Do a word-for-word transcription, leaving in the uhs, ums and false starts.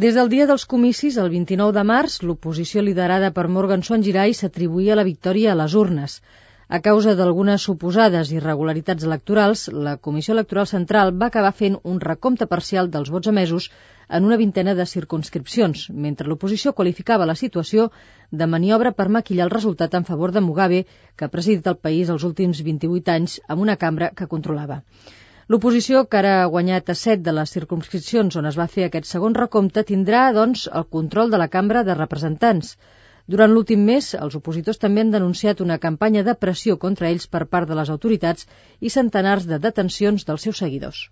Des del dia dels comicis, el vint-i-nou de març, l'oposició liderada per Morgan Tsvangirai s'atribuïa la victòria a les urnes. A causa d'algunes suposades irregularitats electorals, la Comissió Electoral Central va acabar fent un recompte parcial dels vots emesos en una vintena de circumscripcions, mentre l'oposició qualificava la situació de maniobra per maquillar el resultat en favor de Mugabe, que ha presidit el país els últims vint-i-vuit anys amb una cambra que controlava. L'oposició, que ara ha guanyat a set de les circumscripcions on es va fer aquest segon recompte, tindrà, doncs, el control de la Cambra de Representants. Durant l'últim mes, els opositors també han denunciat una campanya de pressió contra ells per part de les autoritats i centenars de detencions dels seus seguidors.